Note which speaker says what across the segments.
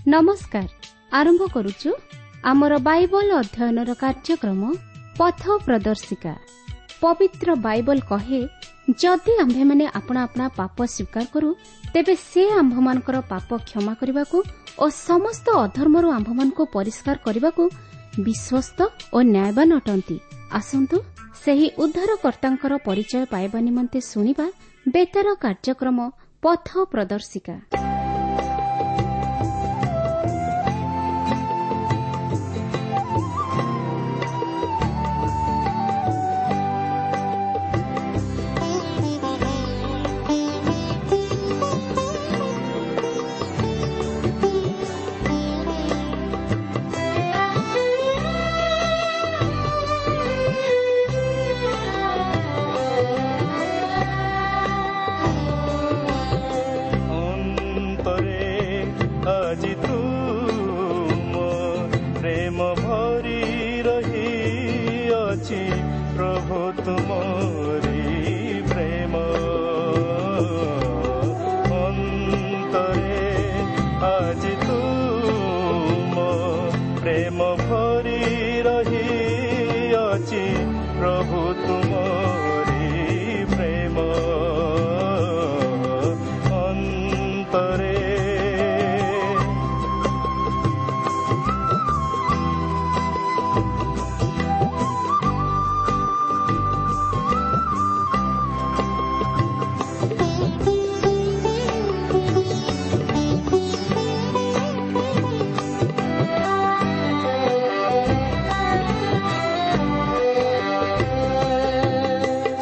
Speaker 1: ନମସ୍କାର। ଆରମ୍ଭ କରୁଛୁ ଆମର ବାଇବଲ ଅଧ୍ୟୟନର କାର୍ଯ୍ୟକ୍ରମ ପଥ ପ୍ରଦର୍ଶିକା। ପବିତ୍ର ବାଇବଲ କହେ, ଯଦି ଆମ୍ଭେମାନେ ଆପଣା ଆପଣା ପାପ ସ୍ୱୀକାର କରୁ, ତେବେ ସେ ଆମ୍ଭମାନଙ୍କର ପାପ କ୍ଷମା କରିବାକୁ ଓ ସମସ୍ତ ଅଧର୍ମରୁ ଆମ୍ଭମାନଙ୍କୁ ପରିଷ୍କାର କରିବାକୁ ବିଶ୍ୱସ୍ତ ଓ ନ୍ୟାୟବାନ ଅଟନ୍ତି। ଆସନ୍ତୁ ସେହି ଉଦ୍ଧାରକର୍ତ୍ତାଙ୍କର ପରିଚୟ ପାଇବା ନିମନ୍ତେ ଶୁଣିବା ବେତାର କାର୍ଯ୍ୟକ୍ରମ ପଥ ପ୍ରଦର୍ଶିକା।
Speaker 2: ଆଜି ତୁମ ପ୍ରେମ ଭରି ରହିଅଛି, ପ୍ରଭୁ ତୁମରି ପ୍ରେମ ଅନ୍ତରେ। ଆଜି ତୁମ ପ୍ରେମ ଭରି ରହିଅଛି, ପ୍ରଭୁ ତୁମରି ପ୍ରେମ ଅନ୍ତରେ।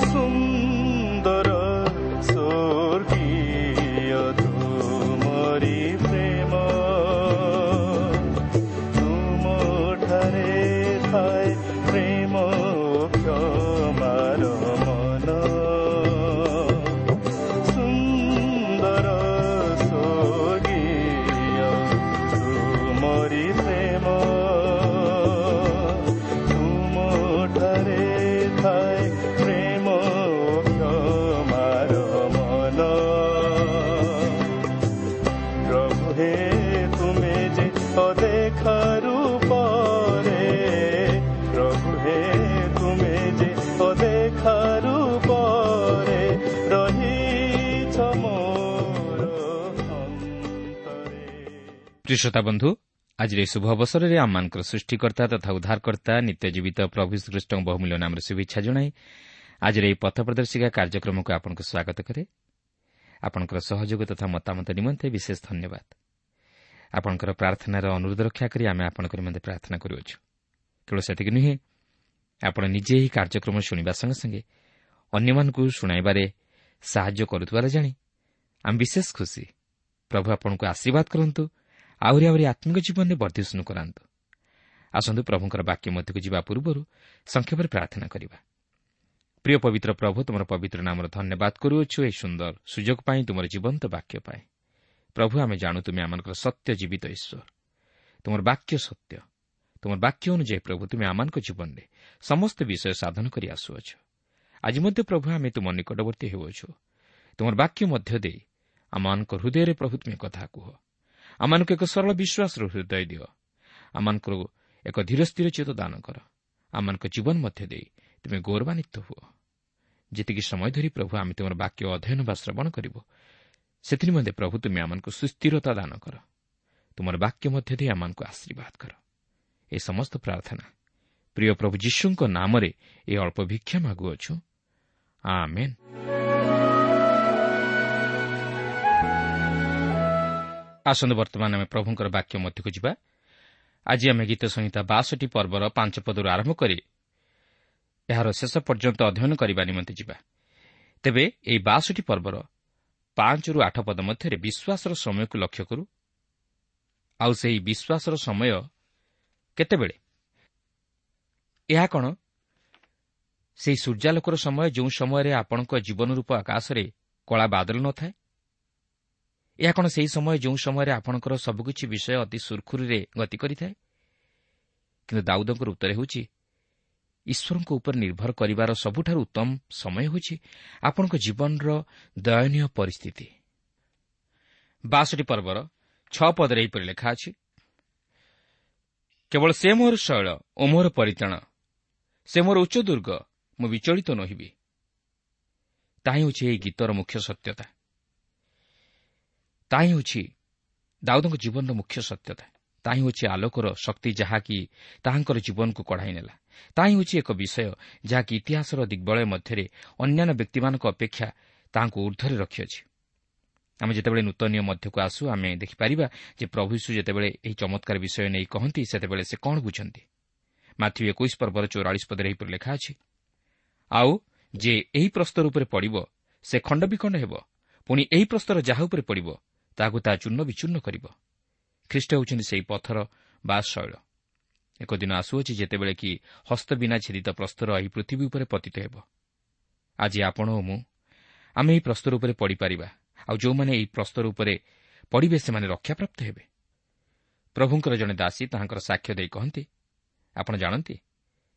Speaker 2: ସୁନ୍ଦର ସ୍ୱର୍ଗୀୟ ତୁମରି ପ୍ରେମ, ତୁମଠାରେ ଥାଏ ପ୍ରେମ କ୍ଷମାର ମନ। ସୁନ୍ଦର ସ୍ୱର୍ଗୀୟ ତୁମରି ପ୍ରେମ, ତୁମଠାରେ ଥାଏ ପ୍ରେମ କ୍ଷମାର ମନ। ପ୍ରଭୁ ହେ, ତୁମେ ଯେ ଅଦେଖା ରୂପରେ, ପ୍ରଭୁ ହେ, ତୁମେ ଯେ ଅଦେଖା ରୂପରେ ରହିଛ ମୋର ଅନ୍ତରେ।
Speaker 3: ପ୍ରିୟ ଶ୍ରୋତା ବନ୍ଧୁ, ଆଜିର ଏହି ଶୁଭ ଅବସରରେ ଆମମାନଙ୍କର ସୃଷ୍ଟିକର୍ତ୍ତା ତଥା ଉଦ୍ଧାରକର୍ତ୍ତା ନିତ୍ୟ ଜୀବିତ ପ୍ରଭୁ ଶ୍ରୀକୃଷ୍ଣଙ୍କ ବହୁମୂଲ୍ୟ ନାମରେ ଶୁଭେଚ୍ଛା ଜଣାଇ ଆଜିର ଏହି ପଥ ପ୍ରଦର୍ଶିକା କାର୍ଯ୍ୟକ୍ରମକୁ ଆପଣଙ୍କୁ ସ୍ୱାଗତ କରେ। ଆପଣଙ୍କର ସହଯୋଗ ତଥା ମତାମତ ନିମନ୍ତେ ବିଶେଷ ଧନ୍ୟବାଦ। ଆପଣଙ୍କର ପ୍ରାର୍ଥନାର ଅନୁରୋଧ ରକ୍ଷା କରି ଆମେ ଆପଣଙ୍କ ନିମନ୍ତେ ପ୍ରାର୍ଥନା କରୁଅଛୁ। କେବଳ ସେତିକି ନୁହେଁ, ଆପଣ ନିଜେ ଏହି କାର୍ଯ୍ୟକ୍ରମ ଶୁଣିବା ସଙ୍ଗେ ସଙ୍ଗେ ଅନ୍ୟମାନଙ୍କୁ ଶୁଣାଇବାରେ ସାହାଯ୍ୟ କରୁଥିବାର ଜାଣି ଆମେ ବିଶେଷ ଖୁସି। ପ୍ରଭୁ ଆପଣଙ୍କୁ ଆଶୀର୍ବାଦ କରନ୍ତୁ, ଆହୁରି ଆହୁରି ଆତ୍ମିକ ଜୀବନରେ ବର୍ଦ୍ଧିଷ୍ଣୁ କରାନ୍ତୁ। ଆସନ୍ତୁ ପ୍ରଭୁଙ୍କର ବାକ୍ୟ ମଧ୍ୟକୁ ଯିବା ପୂର୍ବରୁ ସଂକ୍ଷେପରେ ପ୍ରାର୍ଥନା କରିବା। ପ୍ରିୟ ପବିତ୍ର ପ୍ରଭୁ, ତୁମର ପବିତ୍ର ନାମର ଧନ୍ୟବାଦ କରୁଅଛୁ ଏହି ସୁନ୍ଦର ସୁଯୋଗ ପାଇଁ, ତୁମର ଜୀବନ୍ତ ବାକ୍ୟ ପାଇଁ। ପ୍ରଭୁ, ଆମେ ଜାଣୁ ତୁମେ ଆମମାନଙ୍କର ସତ୍ୟ ଜୀବିତ ଈଶ୍ୱର। ତୁମର ବାକ୍ୟ ସତ୍ୟ। ତୁମର ବାକ୍ୟ ଅନୁଯାୟୀ ପ୍ରଭୁ ତୁମେ ଆମମାନଙ୍କ ଜୀବନରେ ସମସ୍ତ ବିଷୟ ସାଧନ କରି ଆସୁଅଛ। ଆଜି ମଧ୍ୟ ପ୍ରଭୁ ଆମେ ତୁମ ନିକଟବର୍ତ୍ତୀ ହେଉଅଛୁ। ତୁମର ବାକ୍ୟ ମଧ୍ୟ ଦେଇ ଆମମାନଙ୍କ ହୃଦୟରେ ପ୍ରଭୁ ତୁମେ କଥା କୁହ। ଆମମାନଙ୍କୁ ଏକ ସରଳ ବିଶ୍ୱାସର ହୃଦୟ ଦିଅ। ଆମମାନଙ୍କୁ ଏକ ଧୀର ସ୍ଥିର ଚିତ୍ତ ଦାନ କର। ଆମମାନଙ୍କ ଜୀବନ ମଧ୍ୟ ଦେଇ ତୁମେ ଗୌରବାନ୍ୱିତ ହୁଅ। ଯେତିକି ସମୟ ଧରି ପ୍ରଭୁ ଆମେ ତୁମର ବାକ୍ୟ ଅଧ୍ୟୟନ ବା ଶ୍ରବଣ କରିବୁ, ସେଥିନିମନ୍ତେ ପ୍ରଭୁ ତୁମେ ଆମମାନଙ୍କୁ ସୁସ୍ଥିରତା ଦାନ କର। ତୁମର ବାକ୍ୟ ମଧ୍ୟ ଦେଇ ଆମମାନଙ୍କୁ ଆଶୀର୍ବାଦ କର। ଏ ସମସ୍ତ ପ୍ରାର୍ଥନା ପ୍ରିୟ ପ୍ରଭୁ ଯୀଶୁଙ୍କ ନାମରେ ଏ ଅଳ୍ପ ଭିକ୍ଷା ମାଗୁଅଛୁ, ଆମେନ୍। ଆସନ୍ତୁ ବର୍ତ୍ତମାନ ଆମେ ପ୍ରଭୁଙ୍କର ବାକ୍ୟ ମଧ୍ୟକୁ ଯିବା। ଆଜି ଆମେ ଗୀତ ସଂହିତା 62 ପର୍ବର 5 ପଦରୁ ଆରମ୍ଭ କରି ଏହାର ଶେଷ ପର୍ଯ୍ୟନ୍ତ ଅଧ୍ୟୟନ କରିବା ନିମନ୍ତେ ଯିବା। ତେବେ ଏହି 62 ପର୍ବର 5ରୁ 8 ପଦ ମଧ୍ୟରେ ବିଶ୍ୱାସର ସମୟକୁ ଲକ୍ଷ୍ୟ କରୁ। ଆଉ ସେହି ବିଶ୍ୱାସର ସମୟ କେତେବେଳେ? ଏହା କ'ଣ ସେହି ସୂର୍ଯ୍ୟାଲୋକର ସମୟ ଯେଉଁ ସମୟରେ ଆପଣଙ୍କ ଜୀବନ ରୂପ ଆକାଶରେ କଳା ବାଦଲ ନଥାଏ? ଏହା କ'ଣ ସେହି ସମୟ ଯେଉଁ ସମୟରେ ଆପଣଙ୍କର ସବୁକିଛି ବିଷୟ ଅତି ସୁରୁଖୁରୁରେ ଗତି କରିଥାଏ? କିନ୍ତୁ ଦାଉଦଙ୍କର ଉତ୍ତର ହେଉଛି, ଈଶ୍ୱରଙ୍କ ଉପରେ ନିର୍ଭର କରିବାର ସବୁଠାରୁ ଉତ୍ତମ ସମୟ ହେଉଛି ଆପଣଙ୍କ ଜୀବନର ଦୟନୀୟ ପରିସ୍ଥିତି। 62 ପର୍ବର 6 ପଦରେ ଏହିପରି ଲେଖା ଅଛି, କେବଳ ସେ ମୋର ଶୈଳ ଓ ମୋର ପରିତ୍ରାଣ, ସେ ମୋର ଉଚ୍ଚ ଦୁର୍ଗ, ମୁଁ ବିଚଳିତ ନୋହିବି। ତାହା ହେଉଛି ଏହି ଗୀତର ମୁଖ୍ୟ ସତ୍ୟତା। ତାହା ହେଉଛି ଦାଉଦଙ୍କ ଜୀବନର ମୁଖ୍ୟ ସତ୍ୟତା। ତାହା ହେଉଛି ଆଲୋକର ଶକ୍ତି ଯାହାକି ତାହାଙ୍କର ଜୀବନକୁ କଢ଼ାଇ ନେଲା। ତାହା ହେଉଛି ଏକ ବିଷୟ ଯାହାକି ଇତିହାସର ଦିଗ୍ବଳୟ ମଧ୍ୟରେ ଅନ୍ୟାନ୍ୟ ବ୍ୟକ୍ତିମାନଙ୍କ ଅପେକ୍ଷା ତାହାଙ୍କୁ ଉର୍ଦ୍ଧ୍ୱରେ ରଖିଅଛି। ଆମେ ଯେତେବେଳେ ନୂତନ ନିୟମ ମଧ୍ୟକୁ ଆସୁ, ଆମେ ଦେଖିପାରିବା ଯେ ପ୍ରଭୁ ଯୀଶୁ ଯେତେବେଳେ ଏହି ଚମତ୍କାର ବିଷୟ ନେଇ କହନ୍ତି, ସେତେବେଳେ ସେ କ'ଣ ବୁଝନ୍ତି। ମାଥିଉ 21 ପର୍ବର 44 ପଦରେ ଏହିପରି ଲେଖା ଅଛି, ଆଉ ଯେ ଏହି ପ୍ରସ୍ତର ଉପରେ ପଡ଼ିବ ସେ ଖଣ୍ଡ ବିଖଣ୍ଡ ହେବ, ପୁଣି ଏହି ପ୍ରସ୍ତର ଯାହା ଉପରେ ପଡ଼ିବ ତାହାକୁ ତାହା ଚୂର୍ଣ୍ଣ ବିଚୂର୍ଣ୍ଣ କରିବ। ଖ୍ରୀଷ୍ଟ ହେଉଛନ୍ତି ସେହି ପଥର ବା ଶୈଳ। ଏକ ଦିନ ଆସୁଅଛି ଯେତେବେଳେ କି ହସ୍ତ ବିନା ଛେଦିତ ପ୍ରସ୍ତର ଏହି ପୃଥିବୀ ଉପରେ ପତିତ ହେବ। ଆଜି ଆପଣ ଓ ମୁଁ ଆମେ ଏହି ପ୍ରସ୍ତର ଉପରେ ପଡ଼ିପାରିବା, ଆଉ ଯେଉଁମାନେ ଏହି ପ୍ରସ୍ତର ଉପରେ ପଡ଼ିବେ ସେମାନେ ରକ୍ଷାପ୍ରାପ୍ତ ହେବେ। ପ୍ରଭୁଙ୍କର ଜଣେ ଦାସୀ ତାହାଙ୍କର ସାକ୍ଷ୍ୟ ଦେଇ କହନ୍ତି, ଆପଣ ଜାଣନ୍ତି,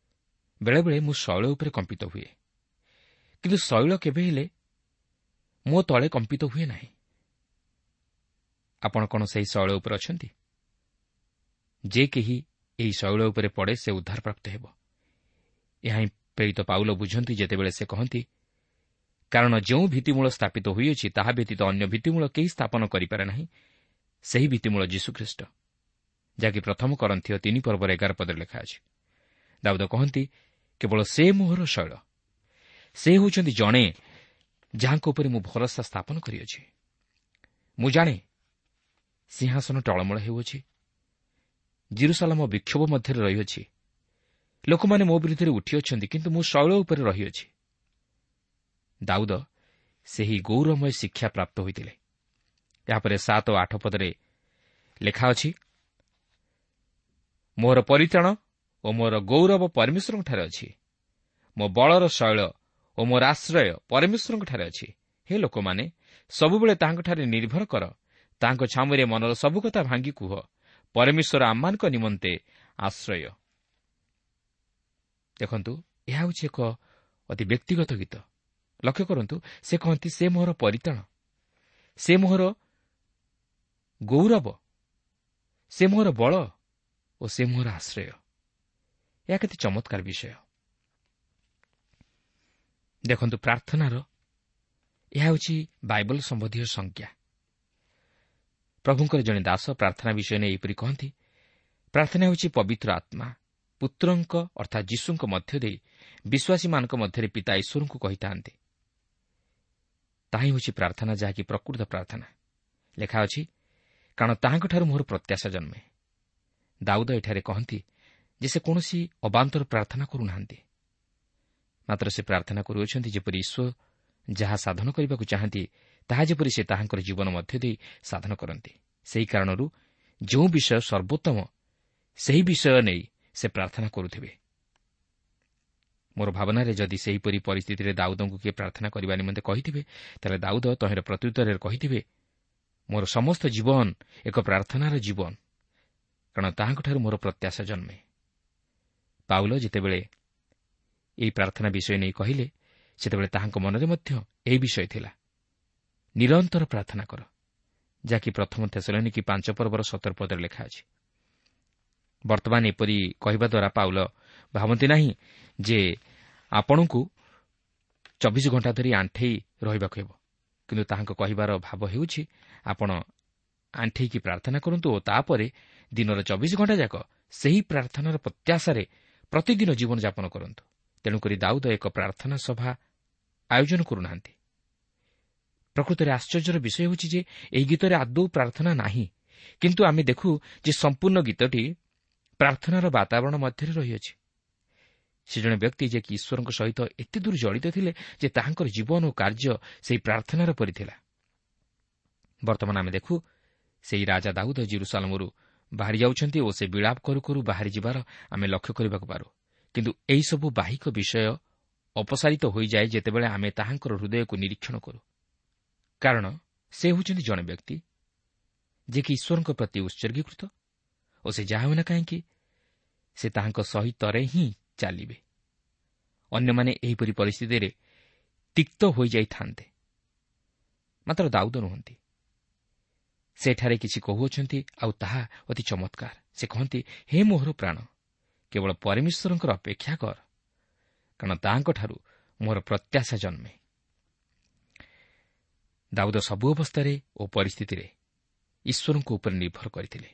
Speaker 3: ବେଳେବେଳେ ମୁଁ ଶୈଳ ଉପରେ କମ୍ପିତ ହୁଏ, କିନ୍ତୁ ଶୈଳ କେବେ ହେଲେ ମୋ ତଳେ କମ୍ପିତ ହୁଏ ନାହିଁ। ଆପଣ କ'ଣ ସେହି ଶୈଳ ଉପରେ ଅଛନ୍ତି? ଯେ କେହି ଏହି ଶୈଳ ଉପରେ ପଡ଼େ ସେ ଉଦ୍ଧାରପ୍ରାପ୍ତ ହେବ। ଏହା ହିଁ ପ୍ରେରିତ ପାଉଲ ବୁଝନ୍ତି ଯେତେବେଳେ ସେ କହନ୍ତି, କାରଣ ଯେଉଁ ଭିତ୍ତିମୂଳ ସ୍ଥାପିତ ହୋଇଅଛି ତାହା ବ୍ୟତୀତ ଅନ୍ୟ ଭିତ୍ତିମୂଳ କେହି ସ୍ଥାପନ କରିପାରେ ନାହିଁ, ସେହି ଭିତ୍ତିମୂଳ ଯୀଶୁଖ୍ରୀଷ୍ଟ, ଯାହାକି ପ୍ରଥମ କରନ୍ଥୀୟ 3 ପର୍ବର 11 ପଦରେ ଲେଖା ଅଛି। ଦାଉଦ କହନ୍ତି, କେବଳ ସେ ମୋହର ଶୈଳ, ସେ ହେଉଛନ୍ତି ଜଣେ ଯାହାଙ୍କ ଉପରେ ମୁଁ ଭରସା ସ୍ଥାପନ କରିଅଛି। ମୁଁ ଜାଣେ ସିଂହାସନ ଟଳମଳ ହେଉଅଛି, ଜିରୁସାଲାମ ବିକ୍ଷୋଭ ମଧ୍ୟରେ ରହିଅଛି, ଲୋକମାନେ ମୋ ବିରୁଦ୍ଧରେ ଉଠିଅଛନ୍ତି, କିନ୍ତୁ ମୁଁ ଶୈଳ ଉପରେ ରହିଅଛି। ଦାଉଦ ସେହି ଗୌରବମୟ ଶିକ୍ଷା ପ୍ରାପ୍ତ ହୋଇଥିଲେ। ଏହାପରେ 7 ଓ 8 ପଦରେ ଲେଖା ଅଛି, ମୋର ପରିତ୍ରାଣ ଓ ମୋର ଗୌରବ ପରମେଶ୍ୱରଙ୍କଠାରେ ଅଛି, ମୋ ବଳର ଶୈଳ ଓ ମୋର ଆଶ୍ରୟ ପରମେଶ୍ୱରଙ୍କଠାରେ ଅଛି। ହେ ଲୋକମାନେ, ସବୁବେଳେ ତାହାଙ୍କଠାରେ ନିର୍ଭର କର, ତାହାଙ୍କ ଛାମୁରେ ମନର ସବୁ କଥା ଭାଙ୍ଗି କୁହ। ପରମେଶ୍ୱର ଆମମାନଙ୍କ ନିମନ୍ତେ ଆଶ୍ରୟ। ଦେଖନ୍ତୁ, ଏହା ହେଉଛି ଏକ ଅତି ବ୍ୟକ୍ତିଗତ ଗୀତ। ଲକ୍ଷ୍ୟ କରନ୍ତୁ, ସେ କହନ୍ତି, ସେ ମୋହର ପରିତ୍ରାଣ, ସେ ମୋହର ଗୌରବ, ସେ ମୋହର ବଳ ଓ ସେ ମୋହର ଆଶ୍ରୟ। ଏହା କେତେ ଚମତ୍କାର ବିଷୟ। ଦେଖନ୍ତୁ, ପ୍ରାର୍ଥନାର ଏହା ହେଉଛି ବାଇବଲ ସମ୍ବନ୍ଧୀୟ ସଂଜ୍ଞା। ପ୍ରଭୁଙ୍କର ଜଣେ ଦାସ ପ୍ରାର୍ଥନା ବିଷୟ ନେଇ ଏହିପରି କହନ୍ତି, ପ୍ରାର୍ଥନା ହେଉଛି ପବିତ୍ର ଆତ୍ମା ପୁତ୍ରଙ୍କ ଅର୍ଥାତ୍ ଯୀଶୁଙ୍କ ମଧ୍ୟ ଦେଇ ବିଶ୍ୱାସୀମାନଙ୍କ ମଧ୍ୟରେ ପିତା ଈଶ୍ୱରଙ୍କୁ କହିଥାନ୍ତି। ତାହା ହେଉଛି ପ୍ରାର୍ଥନା, ଯାହାକି ପ୍ରକୃତ ପ୍ରାର୍ଥନା। ଲେଖା ଅଛି, କାରଣ ତାହାଙ୍କଠାରୁ ମୋର ପ୍ରତ୍ୟାଶା ଜନ୍ମେ। ଦାଉଦ ଏଠାରେ କହନ୍ତି ଯେ ସେ କୌଣସି ଅବାନ୍ତର ପ୍ରାର୍ଥନା କରୁନାହାନ୍ତି, ମାତ୍ର ସେ ପ୍ରାର୍ଥନା କରୁଅଛନ୍ତି ଯେପରି ଈଶ୍ୱର ଯାହା ସାଧନ କରିବାକୁ ଚାହାନ୍ତି ତାହା ଯେପରି ସେ ତାହାଙ୍କର ଜୀବନ ମଧ୍ୟ ଦେଇ ସାଧନ କରନ୍ତି। ସେହି କାରଣରୁ ଯେଉଁ ବିଷୟ ସର୍ବୋତ୍ତମ ସେହି ବିଷୟ ନେଇ ସେ ପ୍ରାର୍ଥନା କରୁଥିବେ। ମୋର ଭାବନାରେ ଯଦି ସେହିପରି ପରିସ୍ଥିତିରେ ଦାଉଦଙ୍କୁ କିଏ ପ୍ରାର୍ଥନା କରିବା ନିମନ୍ତେ କହିଥିବେ, ତାହେଲେ ଦାଉଦ ତହିଁର ପ୍ରତ୍ୟୁତ୍ତରରେ କହିଥିବେ, ମୋର ସମସ୍ତ ଜୀବନ ଏକ ପ୍ରାର୍ଥନାର ଜୀବନ, କାରଣ ତାହାଙ୍କଠାରୁ ମୋର ପ୍ରତ୍ୟାଶା ଜନ୍ମେ। ପାଉଲ ଯେତେବେଳେ ଏହି ପ୍ରାର୍ଥନା ବିଷୟ ନେଇ କହିଲେ, ସେତେବେଳେ ତାହାଙ୍କ ମନରେ ମଧ୍ୟ ଏହି ବିଷୟ ଥିଲା, ନିରନ୍ତର ପ୍ରାର୍ଥନା କର, ଯାହାକି ପ୍ରଥମ ଥେସଲନୀକି 5 ପର୍ବର 17 ପଦରେ ଲେଖା ଅଛି। ବର୍ତ୍ତମାନ ଏପରି କହିବା ଦ୍ୱାରା ପାଉଲ ଭାବନ୍ତି ନାହିଁ ଯେ ଆପଣଙ୍କୁ 24 ଘଣ୍ଟା ଧରି ଆଣ୍ଠେଇ ରହିବାକୁ ହେବ, କିନ୍ତୁ ତାହାଙ୍କ କହିବାର ଭାବ ହେଉଛି ଆପଣ ଆଣ୍ଠେଇକି ପ୍ରାର୍ଥନା କରନ୍ତୁ ଓ ତାପରେ ଦିନର 24 ଘଣ୍ଟା ଯାକ ସେହି ପ୍ରାର୍ଥନାର ପ୍ରତ୍ୟାଶାରେ ପ୍ରତିଦିନ ଜୀବନଯାପନ କରନ୍ତୁ। ତେଣୁକରି ଦାଉଦ ଏକ ପ୍ରାର୍ଥନା ସଭା ଆୟୋଜନ କରୁନାହାନ୍ତି। ପ୍ରକୃତରେ ଆଶ୍ଚର୍ଯ୍ୟର ବିଷୟ ହେଉଛି ଯେ ଏହି ଗୀତରେ ଆଦୌ ପ୍ରାର୍ଥନା ନାହିଁ, କିନ୍ତୁ ଆମେ ଦେଖୁ ଯେ ସମ୍ପୂର୍ଣ୍ଣ ଗୀତଟି ପ୍ରାର୍ଥନାର ବାତାବରଣ ମଧ୍ୟରେ ରହିଅଛି। ସେ ଜଣେ ବ୍ୟକ୍ତି ଯିଏକି ଈଶ୍ୱରଙ୍କ ସହିତ ଏତେ ଦୂର ଜଡ଼ିତ ଥିଲେ ଯେ ତାହାଙ୍କର ଜୀବନ ଓ କାର୍ଯ୍ୟ ସେହି ପ୍ରାର୍ଥନାର ପରି ଥିଲା। ବର୍ତ୍ତମାନ ଆମେ ଦେଖୁ ସେହି ରାଜା ଦାଉଦ ଜିରୁସାଲମରୁ ବାହାରି ଯାଉଛନ୍ତି ଓ ସେ ବିଳାପ କରୁ କରୁ ବାହାରି ଯିବାର ଆମେ ଲକ୍ଷ୍ୟ କରିବାକୁ ପାରୁ। କିନ୍ତୁ ଏହିସବୁ ବାହିକ ବିଷୟ ଅପସାରିତ ହୋଇଯାଏ ଯେତେବେଳେ ଆମେ ତାହାଙ୍କର ହୃଦୟକୁ ନିରୀକ୍ଷଣ କରୁ, କାରଣ ସେ ହେଉଛନ୍ତି ଜଣେ ବ୍ୟକ୍ତି ଯିଏକି ଈଶ୍ୱରଙ୍କ ପ୍ରତି ଉତ୍ସର୍ଗୀକୃତ ଓ ସେ ଯାହା ହେଉନା କାହିଁକି ସେ ତାହାଙ୍କ ସହିତରେ ହିଁ ଚାଲିବେ। ଅନ୍ୟମାନେ ଏହିପରି ପରିସ୍ଥିତିରେ ତିକ୍ତ ହୋଇଯାଇଥାନ୍ତେ, ମାତ୍ର ଦାଉଦ ନୁହନ୍ତି। ସେଠାରେ କିଛି କହୁଅଛନ୍ତି, ଆଉ ତାହା ଅତି ଚମତ୍କାର। ସେ କହନ୍ତି, ହେ ମୋହର ପ୍ରାଣ, କେବଳ ପରମେଶ୍ୱରଙ୍କର ଅପେକ୍ଷା କର, କାରଣ ତାହାଙ୍କଠାରୁ ମୋର ପ୍ରତ୍ୟାଶା ଜନ୍ମେ। ଦାଉଦ ସବୁ ଅବସ୍ଥାରେ ଓ ପରିସ୍ଥିତିରେ ଈଶ୍ୱରଙ୍କ ଉପରେ ନିର୍ଭର କରିଥିଲେ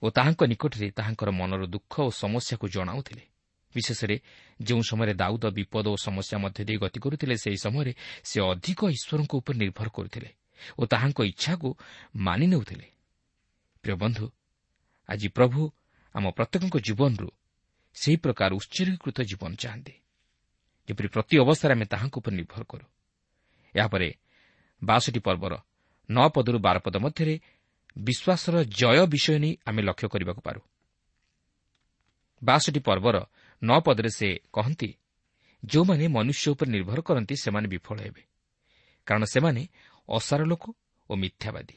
Speaker 3: ଓ ତାହାଙ୍କ ନିକଟରେ ତାହାଙ୍କର ମନର ଦୁଃଖ ଓ ସମସ୍ୟାକୁ ଜଣାଉଥିଲେ। ବିଶେଷରେ ଯେଉଁ ସମୟରେ ଦାଉଦ ବିପଦ ଓ ସମସ୍ୟା ମଧ୍ୟ ଦେଇ ଗତି କରୁଥିଲେ, ସେହି ସମୟରେ ସେ ଅଧିକ ଈଶ୍ୱରଙ୍କ ଉପରେ ନିର୍ଭର କରୁଥିଲେ ଓ ତାହାଙ୍କ ଇଚ୍ଛାକୁ ମାନି ନେଉଥିଲେ। ପ୍ରିୟ ବନ୍ଧୁ, ଆଜି ପ୍ରଭୁ ଆମ ପ୍ରତ୍ୟେକଙ୍କ ଜୀବନରୁ ସେହି ପ୍ରକାର ଉତ୍ସର୍ଗୀକୃତ ଜୀବନ ଚାହାନ୍ତି, ଯେପରି ପ୍ରତି ଅବସ୍ଥାରେ ଆମେ ତାହାଙ୍କ ଉପରେ ନିର୍ଭର କରୁ। ଏହାପରେ 62 ପର୍ବର 9 ପଦରୁ 12 ପଦ ମଧ୍ୟରେ ବିଶ୍ୱାସର ଜୟ ବିଷୟ ନେଇ ଆମେ ଲକ୍ଷ୍ୟ କରିବାକୁ ପାରୁ। 62 ପର୍ବର 9 ପଦରେ ସେ କହନ୍ତି, ଯେଉଁମାନେ ମନୁଷ୍ୟ ଉପରେ ନିର୍ଭର କରନ୍ତି ସେମାନେ ବିଫଳ ହେବେ, କାରଣ ସେମାନେ ଅସାର ଲୋକ ଓ ମିଥ୍ୟାବାଦୀ।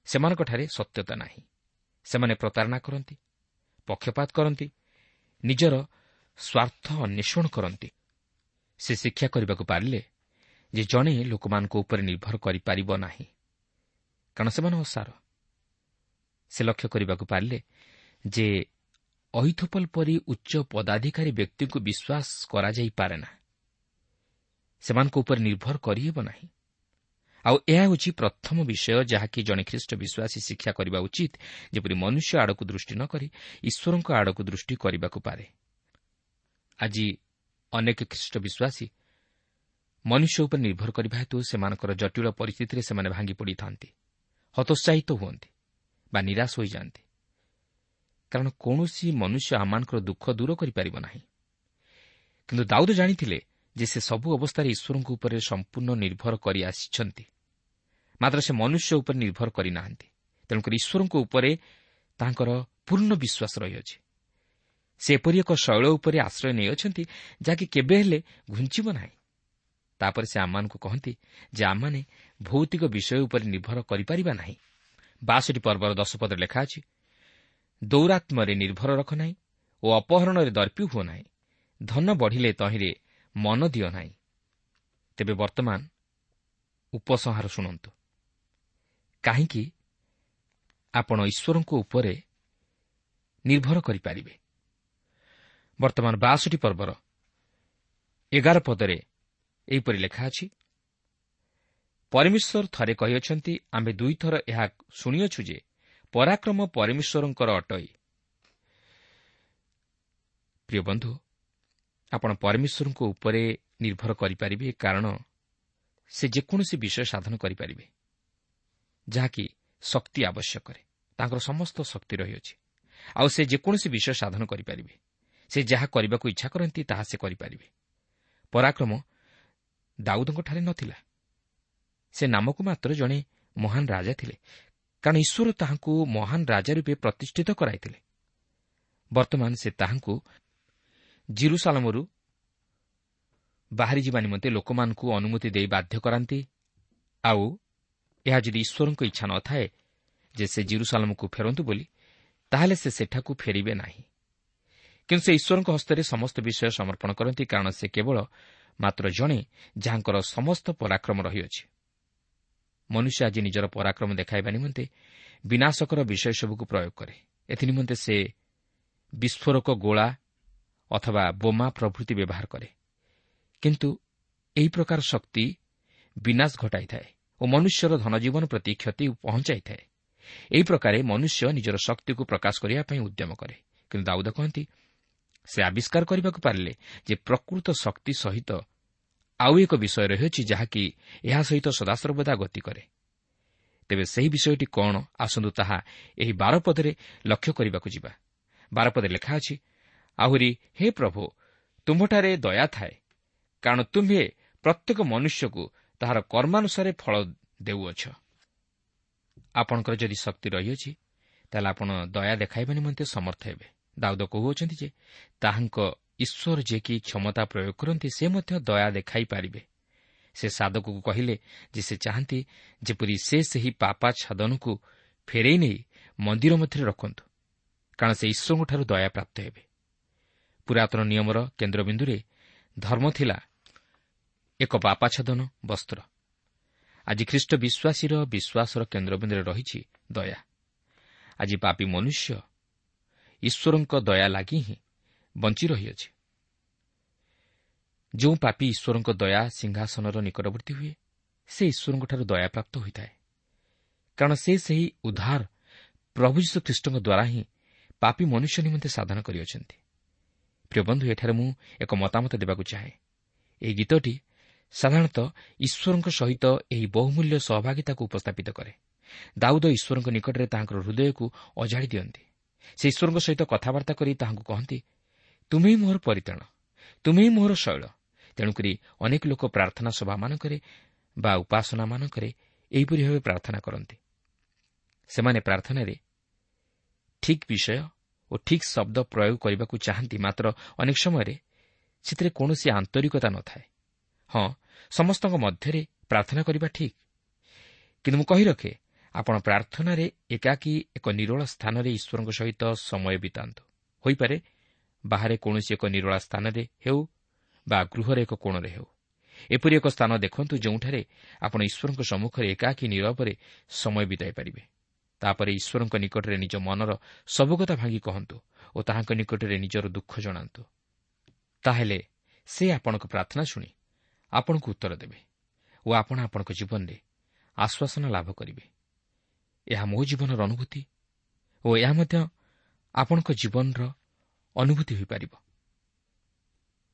Speaker 3: ସେମାନଙ୍କଠାରେ ସତ୍ୟତା ନାହିଁ। ସେମାନେ ପ୍ରତାରଣା କରନ୍ତି, ପକ୍ଷପାତ କରନ୍ତି, ନିଜର ସ୍ୱାର୍ଥ ଅନ୍ୱେଷଣ କରନ୍ତି। ସେ ଶିକ୍ଷା କରିବାକୁ ପାରିଲେ ଯେ ଜଣେ ଲୋକମାନଙ୍କ ଉପରେ ନିର୍ଭର କରିପାରିବ ନାହିଁ, କାରଣ ସେମାନେ ଅସାର। ସେ ଲକ୍ଷ୍ୟ କରିବାକୁ ପାରିଲେ ଯେ ଅହିଥୋପଲ ପରି ଉଚ୍ଚ ପଦାଧିକାରୀ ବ୍ୟକ୍ତିଙ୍କୁ ବିଶ୍ୱାସ କରାଯାଇପାରେ ନା, ସେମାନଙ୍କ ଉପରେ ନିର୍ଭର କରିହେବ ନାହିଁ। ଆଉ ଏହା ହେଉଛି ପ୍ରଥମ ବିଷୟ ଯାହାକି ଜଣେ ଖ୍ରୀଷ୍ଟ ବିଶ୍ୱାସୀ ଶିକ୍ଷା କରିବା ଉଚିତ, ଯେପରି ମନୁଷ୍ୟ ଆଡ଼କୁ ଦୃଷ୍ଟି ନ କରି ଈଶ୍ୱରଙ୍କ ଆଡ଼କୁ ଦୃଷ୍ଟି କରିବାକୁ ପାରେ। ଆଜି ଅନେକ ଖ୍ରୀଷ୍ଟ ବିଶ୍ୱାସୀ ମନୁଷ୍ୟ ଉପରେ ନିର୍ଭର କରିବା ହେତୁ ସେମାନଙ୍କର ଜଟିଳ ପରିସ୍ଥିତିରେ ସେମାନେ ଭାଙ୍ଗି ପଡ଼ିଥାନ୍ତି, ହତୋତ୍ସାହିତ ହୁଅନ୍ତି ବା ନିରାଶ ହୋଇଯାଆନ୍ତି, କାରଣ କୌଣସି ମନୁଷ୍ୟ ଆମମାନଙ୍କର ଦୁଃଖ ଦୂର କରିପାରିବ ନାହିଁ। କିନ୍ତୁ ଦାଉଦ ଜାଣିଥିଲେ ଯେ ସେ ସବୁ ଅବସ୍ଥାରେ ଈଶ୍ୱରଙ୍କ ଉପରେ ସମ୍ପୂର୍ଣ୍ଣ ନିର୍ଭର କରି ଆସିଛନ୍ତି, ମାତ୍ର ସେ ମନୁଷ୍ୟ ଉପରେ ନିର୍ଭର କରିନାହାନ୍ତି। ତେଣୁକରି ଈଶ୍ୱରଙ୍କ ଉପରେ ତାଙ୍କର ପୂର୍ଣ୍ଣ ବିଶ୍ୱାସ ରହିଅଛି। ସେ ଏପରି ଏକ ଶୈଳ ଉପରେ ଆଶ୍ରୟ ନେଇଅଛନ୍ତି ଯାହାକି କେବେ ହେଲେ ଘୁଞ୍ଚିବ ନାହିଁ। ତାପରେ ସେ ଆମମାନଙ୍କୁ କହନ୍ତି ଯେ ଆମମାନେ ଭୌତିକ ବିଷୟ ଉପରେ ନିର୍ଭର କରିପାରିବା ନାହିଁ। 62 ପର୍ବର 10 ପଦରେ ଲେଖା ଅଛି, ଦୌରାତ୍ମ୍ୟରେ ନିର୍ଭର ରଖ ନାହିଁ ଓ ଅପହରଣରେ ଦର୍ପି ହୁଅ ନାହିଁ, ଧନ ବଢ଼ିଲେ ତହିଁରେ ମନ ଦିଅ ନାହିଁ। ତେବେ ବର୍ତ୍ତମାନ ଉପସଂହାର ଶୁଣନ୍ତୁ, କାହିଁକି ଆପଣ ଈଶ୍ୱରଙ୍କ ଉପରେ ନିର୍ଭର କରିପାରିବେ। ବର୍ତ୍ତମାନ 62 ପର୍ବର 11 ପଦରେ ଏହିପରି ଲେଖା ଅଛି, ପରମେଶ୍ୱର ଥରେ କହିଅଛନ୍ତି, ଆମ୍ଭେ ଦୁଇଥର ଏହା ଶୁଣିଅଛୁ ଯେ ପରାକ୍ରମ ପରମେଶ୍ୱରଙ୍କର ଅଟଇ। ପ୍ରିୟ ବନ୍ଧୁ, ଆପଣ ପରମେଶ୍ୱରଙ୍କ ଉପରେ ନିର୍ଭର କରିପାରିବେ, କାରଣ ସେ ଯେକୌଣସି ବିଷୟ ସାଧନ କରିପାରିବେ ଯାହାକି ଶକ୍ତି ଆବଶ୍ୟକ କରେ। ତାଙ୍କର ସମସ୍ତ ଶକ୍ତି ରହିଅଛି, ଆଉ ସେ ଯେକୌଣସି ବିଷୟ ସାଧନ କରିପାରିବେ। ସେ ଯାହା କରିବାକୁ ଇଚ୍ଛା କରନ୍ତି ତାହା ସେ କରିପାରିବେ। ପରାକ୍ରମ ଦାଉଦଙ୍କଠାରେ ନଥିଲା। ସେ ନାମକୁ ମାତ୍ର ଜଣେ ମହାନ ରାଜା ଥିଲେ, କାରଣ ଈଶ୍ୱର ତାହାଙ୍କୁ ମହାନ ରାଜା ରୂପେ ପ୍ରତିଷ୍ଠିତ କରାଇଥିଲେ। ବର୍ତ୍ତମାନ ସେ ତାହାଙ୍କୁ ଜିରୁସାଲମରୁ ବାହାରିଯିବା ନିମନ୍ତେ ଲୋକମାନଙ୍କୁ ଅନୁମତି ଦେଇ ବାଧ୍ୟ କରାନ୍ତି। ଆଉ ଏହା ଯଦି ଈଶ୍ୱରଙ୍କ ଇଚ୍ଛା ନଥାଏ ଯେ ସେ ଜିରୁସାଲମକୁ ଫେରନ୍ତୁ ବୋଲି, ତାହେଲେ ସେ ସେଠାକୁ ଫେରିବେ ନାହିଁ। କିନ୍ତୁ ସେ ଈଶ୍ୱରଙ୍କ ହସ୍ତରେ ସମସ୍ତ ବିଷୟ ସମର୍ପଣ କରନ୍ତି, କାରଣ ସେ କେବଳ ମାତ୍ର ଜଣେ ଯାହାଙ୍କର ସମସ୍ତ ପରାକ୍ରମ ରହିଅଛି। ମନୁଷ୍ୟ ଆଜି ନିଜର ପରାକ୍ରମ ଦେଖାଇବା ନିମନ୍ତେ ବିନାଶକର ବିଷୟ ସବୁକୁ ପ୍ରୟୋଗ କରେ। ଏଥିନିମନ୍ତେ ସେ ବିସ୍ଫୋରକ ଗୋଳା ଅଥବା ବୋମା ପ୍ରଭୃତି ବ୍ୟବହାର କରେ। କିନ୍ତୁ ଏହି ପ୍ରକାର ଶକ୍ତି ବିନାଶ ଘଟାଇଥାଏ ଓ ମନୁଷ୍ୟର ଧନଜୀବନ ପ୍ରତି କ୍ଷତି ପହଞ୍ଚାଇଥାଏ। ଏହି ପ୍ରକାରେ ମନୁଷ୍ୟ ନିଜର ଶକ୍ତିକୁ ପ୍ରକାଶ କରିବା ପାଇଁ ଉଦ୍ୟମ କରେ। କିନ୍ତୁ ଦାଉଦ କହନ୍ତି, ସେ ଆବିଷ୍କାର କରିବାକୁ ପାରିଲେ ଯେ ପ୍ରକୃତ ଶକ୍ତି ସହିତ ଆଉ ଏକ ବିଷୟ ରହିଅଛି ଯାହାକି ଏହା ସହିତ ସଦାସର୍ବଦା ଗତି କରେ। ତେବେ ସେହି ବିଷୟଟି କ'ଣ, ଆସନ୍ତୁ ତାହା ଏହି 12 ପଦରେ ଲକ୍ଷ୍ୟ କରିବାକୁ ଯିବା। 12 ପଦରେ ଲେଖା ଅଛି, ଆହୁରି ହେ ପ୍ରଭୁ, ତୁମ୍ଭଠାରେ ଦୟା ଥାଏ, କାରଣ ତୁମ୍ଭେ ପ୍ରତ୍ୟେକ ମନୁଷ୍ୟକୁ ତାହାର କର୍ମାନୁସାରେ ଫଳ ଦେଉଅଛ। ଆପଣଙ୍କର ଯଦି ଶକ୍ତି ରହିଅଛି, ତାହେଲେ ଆପଣ ଦୟା ଦେଖାଇବା ନିମନ୍ତେ ସମର୍ଥ ହେବେ। ଦାଉଦ କହୁଅଛନ୍ତି ଯେ ତାହାଙ୍କ ଈଶ୍ୱର ଯିଏକି କ୍ଷମତା ପ୍ରୟୋଗ କରନ୍ତି, ସେ ମଧ୍ୟ ଦୟା ଦେଖାଇ ପାରିବେ। ସେ ସାଧକକୁ କହିଲେ ଯେ ସେ ଚାହାନ୍ତି ଯେପରି ସେ ସେହି ପାପାଚ୍ଛାଦନକୁ ଫେରାଇ ନେଇ ମନ୍ଦିର ମଧ୍ୟରେ ରଖନ୍ତୁ, କାରଣ ସେ ଈଶ୍ୱରଙ୍କଠାରୁ ଦୟା ପ୍ରାପ୍ତ ହେବେ। ପୁରାତନ ନିୟମର କେନ୍ଦ୍ରବିନ୍ଦୁରେ ଧର୍ମ ଥିଲା ଏକ ପାପାଚ୍ଛାଦନ ବସ୍ତ୍ର, ଆଜି ଖ୍ରୀଷ୍ଟ ବିଶ୍ୱାସୀର ବିଶ୍ୱାସର କେନ୍ଦ୍ରବିନ୍ଦୁରେ ରହିଛି ଦୟା। ଆଜି ପାପୀ ମନୁଷ୍ୟ ଈଶ୍ୱରଙ୍କ ଦୟା ଲାଗି ହିଁ ବଞ୍ଚି ରହିଅଛି। ଯେଉଁ ପାପୀ ଈଶ୍ୱରଙ୍କ ଦୟା ସିଂହାସନର ନିକଟବର୍ତ୍ତୀ ହୁଏ, ସେ ଈଶ୍ୱରଙ୍କଠାରୁ ଦୟାପ୍ରାପ୍ତ ହୋଇଥାଏ, କାରଣ ସେ ସେହି ଉଦ୍ଧାର ପ୍ରଭୁ ଯୀଶୁଖ୍ରୀଷ୍ଟଙ୍କ ଦ୍ୱାରା ହିଁ ପାପୀ ମନୁଷ୍ୟ ନିମନ୍ତେ ସାଧନ କରିଅଛନ୍ତି। ପ୍ରିୟ ବନ୍ଧୁ, ଏଠାରେ ମୁଁ ଏକ ମତାମତ ଦେବାକୁ ଚାହେଁ। ଏହି ଗୀତଟି ସାଧାରଣତଃ ଈଶ୍ୱରଙ୍କ ସହିତ ଏହି ବହୁମୂଲ୍ୟ ସହଭାଗିତାକୁ ଉପସ୍ଥାପିତ କରେ। ଦାଉଦ ଈଶ୍ୱରଙ୍କ ନିକଟରେ ତାହାଙ୍କର ହୃଦୟକୁ ଅଜାଡ଼ି ଦିଅନ୍ତି। ସେ ଈଶ୍ୱରଙ୍କ ସହିତ କଥାବାର୍ତ୍ତା କରି ତାହାଙ୍କୁ କହନ୍ତି, ତୁମେ ହିଁ ମୋର ପରିତ୍ରାଣ, ତୁମେ ହିଁ ମୋର ଶୈଳ। ତେଣୁକରି ଅନେକ ଲୋକ ପ୍ରାର୍ଥନା ସଭାମାନଙ୍କରେ ବା ଉପାସନାମାନଙ୍କରେ ଏହିପରି ଭାବେ ପ୍ରାର୍ଥନା କରନ୍ତି। ସେମାନେ ପ୍ରାର୍ଥନାରେ ଠିକ୍ ବିଷୟ ଓ ଠିକ୍ ଶବ୍ଦ ପ୍ରୟୋଗ କରିବାକୁ ଚାହାନ୍ତି, ମାତ୍ର ଅନେକ ସମୟରେ ସେଥିରେ କୌଣସି ଆନ୍ତରିକତା ନଥାଏ। ହଁ, ସମସ୍ତଙ୍କ ମଧ୍ୟରେ ପ୍ରାର୍ଥନା କରିବା ଠିକ୍, କିନ୍ତୁ ମୁଁ କହି ରଖେ, ଆପଣ ପ୍ରାର୍ଥନାରେ ଏକାକୀ ଏକ ନିରୋଳା ସ୍ଥାନରେ ଈଶ୍ୱରଙ୍କ ସହିତ ସମୟ ବିତାନ୍ତୁ। ହୋଇପାରେ ବାହାରେ କୌଣସି ଏକ ନିରୋଳା ସ୍ଥାନରେ ହେଉ ବା ଗୃହରେ ଏକ କୋଣରେ ହେଉ, ଏପରି ଏକ ସ୍ଥାନ ଦେଖନ୍ତୁ ଯେଉଁଠାରେ ଆପଣ ଈଶ୍ୱରଙ୍କ ସମ୍ମୁଖରେ ଏକାକୀ ନିରବରେ ସମୟ ବିତାଇ ପାରିବେ। ତାପରେ ଈଶ୍ୱରଙ୍କ ନିକଟରେ ନିଜ ମନର ସବୁ କଥା ଭାଙ୍ଗି କହନ୍ତୁ ଓ ତାହାଙ୍କ ନିକଟରେ ନିଜର ଦୁଃଖ ଜଣାନ୍ତୁ। ତାହେଲେ ସେ ଆପଣଙ୍କ ପ୍ରାର୍ଥନା ଶୁଣି ଆପଣଙ୍କୁ ଉତ୍ତର ଦେବେ ଓ ଆପଣ ଆପଣଙ୍କ ଜୀବନରେ ଆଶ୍ୱାସନା ଲାଭ କରିବେ। ଏହା ମୋ ଜୀବନର ଅନୁଭୂତି ଓ ଏହା ମଧ୍ୟ ଆପଣଙ୍କ ଜୀବନର ଅନୁଭୂତି ହୋଇପାରିବ।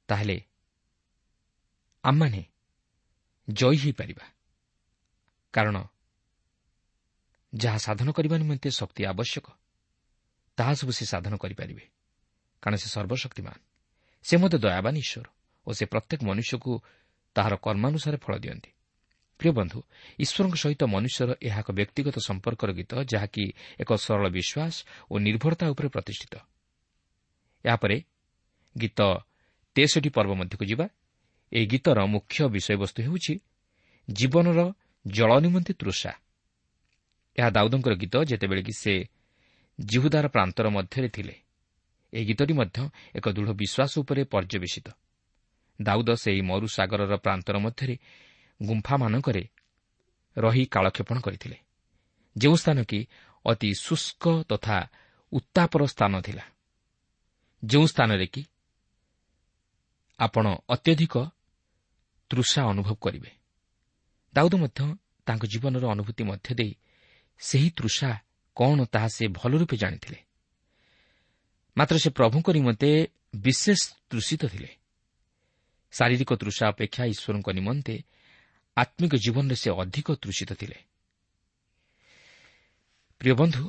Speaker 3: ତାହେଲେ ଆମମାନେ ଜୟୀ ହୋଇପାରିବା, କାରଣ ଯାହା ସାଧନ କରିବା ନିମନ୍ତେ ଶକ୍ତି ଆବଶ୍ୟକ ତାହା ସବୁ ସେ ସାଧନ କରିପାରିବେ, କାରଣ ସେ ସର୍ବଶକ୍ତିମାନ। ସେ ମଧ୍ୟ ଦୟାବାନ ଈଶ୍ୱର ଓ ସେ ପ୍ରତ୍ୟେକ ମନୁଷ୍ୟକୁ ତାହାର କର୍ମାନୁସାରେ ଫଳ ଦିଅନ୍ତି। ପ୍ରିୟ ବନ୍ଧୁ, ଈଶ୍ୱରଙ୍କ ସହିତ ମନୁଷ୍ୟର ଏହା ଏକ ବ୍ୟକ୍ତିଗତ ସମ୍ପର୍କର ଗୀତ, ଯାହାକି ଏକ ସରଳ ବିଶ୍ୱାସ ଓ ନିର୍ଭରତା ଉପରେ ପ୍ରତିଷ୍ଠିତ। ଏହାପରେ ଗୀତ 63 ପର୍ବ ମଧ୍ୟକୁ ଯିବା। ଏହି ଗୀତର ମୁଖ୍ୟ ବିଷୟବସ୍ତୁ ହେଉଛି ଜୀବନର ଜଳ ନିମନ୍ତେ ତୃଷା। ଏହା ଦାଉଦଙ୍କର ଗୀତ, ଯେତେବେଳେ କି ସେ ଜିହୁଦାର ପ୍ରାନ୍ତର ମଧ୍ୟରେ ଥିଲେ। ଏହି ଗୀତଟି ମଧ୍ୟ ଏକ ଦୃଢ଼ ବିଶ୍ୱାସ ଉପରେ ପର୍ଯ୍ୟବେସିତ। ଦାଉଦ ସେହି ମରୁସାଗରର ପ୍ରାନ୍ତର ମଧ୍ୟରେ ଗୁମ୍ଫାମାନଙ୍କରେ ରହି କାଳକ୍ଷେପଣ କରିଥିଲେ, ଯେଉଁ ସ୍ଥାନ କି ଅତି ଶୁଷ୍କ ତଥା ଉତ୍ତାପର ସ୍ଥାନ ଥିଲା, ଯେଉଁ ସ୍ଥାନରେ କି ଆପଣ ଅତ୍ୟଧିକ ତୃଷା ଅନୁଭବ କରିବେ। ଦାଉଦ ମଧ୍ୟ ତାଙ୍କ ଜୀବନର ଅନୁଭୂତି ମଧ୍ୟ ଦେଇ ସେହି ତୃଷା କ'ଣ ତାହା ସେ ଭଲ ରୂପେ ଜାଣିଥିଲେ। ମାତ୍ର ସେ ପ୍ରଭୁଙ୍କ ନିମନ୍ତେ ବିଶେଷ ତୃଷିତ ଥିଲେ। ଶାରୀରିକ ତୃଷା ଅପେକ୍ଷା ଈଶ୍ୱରଙ୍କ ନିମନ୍ତେ ଆତ୍ମିକ ଜୀବନରେ ସେ ଅଧିକ ତୃଷିତ ଥିଲେ। ପ୍ରିୟ ବନ୍ଧୁ,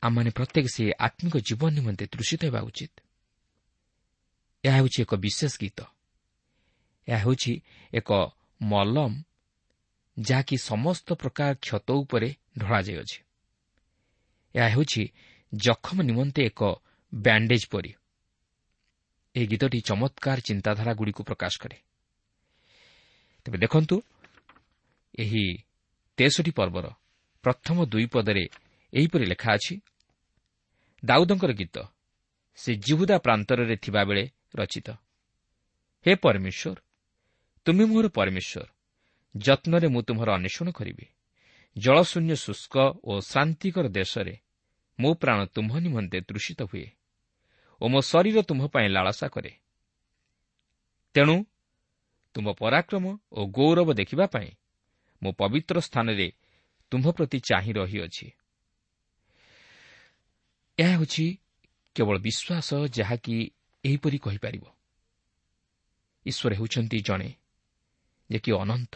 Speaker 3: ଆମମାନେ ପ୍ରତ୍ୟେକ ସେ ଆତ୍ମିକ ଜୀବନ ନିମନ୍ତେ ତୃଷିତ ହେବା ଉଚିତ। ଏହା ହେଉଛି ଏକ ବିଶେଷ ଗୀତ। ଏହା ହେଉଛି ଏକ ମଲମ, ଯାହାକି ସମସ୍ତ ପ୍ରକାର କ୍ଷତ ଉପରେ ଢଳାଯାଇଅଛି। ଏହା ହେଉଛି ଜଖମ ନିମନ୍ତେ ଏକ ବ୍ୟାଣ୍ଡେଜ୍ ପରି। ଏହି ଗୀତଟି ଚମତ୍କାର ଚିନ୍ତାଧାରାଗୁଡ଼ିକୁ ପ୍ରକାଶ କରେ। ତେବେ ଦେଖନ୍ତୁ, ଏହି 63 ପର୍ବର ପ୍ରଥମ 2 ପଦରେ ଏହିପରି ଲେଖା ଅଛି, ଦାଉଦଙ୍କର ଗୀତ, ସେ ଜିହୁଦା ପ୍ରାନ୍ତରରେ ଥିବାବେଳେ ରଚିତ। ହେ ପରମେଶ୍ୱର, ତୁମେ ମୋର ପରମେଶ୍ୱର, ଯତ୍ନରେ ମୁଁ ତୁମର ଅନ୍ୱେଷଣ କରିବି। ଜଳଶୂନ୍ୟ ଶୁଷ୍କ ଓ ଶ୍ରାନ୍ତିକର ଦେଶରେ ମୋ ପ୍ରାଣ ତୁମ୍ଭ ନିମନ୍ତେ ତୃଷିତ ହୁଏ ଓ ମୋ ଶରୀର ତୁମ୍ଭ ପାଇଁ ଲାଳସା କରେ। ତେଣୁ ତୁମ୍ଭ ପରାକ୍ରମ ଓ ଗୌରବ ଦେଖିବା ପାଇଁ ମୋ ପବିତ୍ର ସ୍ଥାନରେ ତୁମ୍ଭ ପ୍ରତି ଚାହିଁ ରହିଅଛି। ଏହା ହେଉଛି କେବଳ ବିଶ୍ୱାସ ଯାହାକି ଏହିପରି କହିପାରିବ। ଈଶ୍ୱର ହେଉଛନ୍ତି ଜଣେ ଯେ କି ଅନନ୍ତ।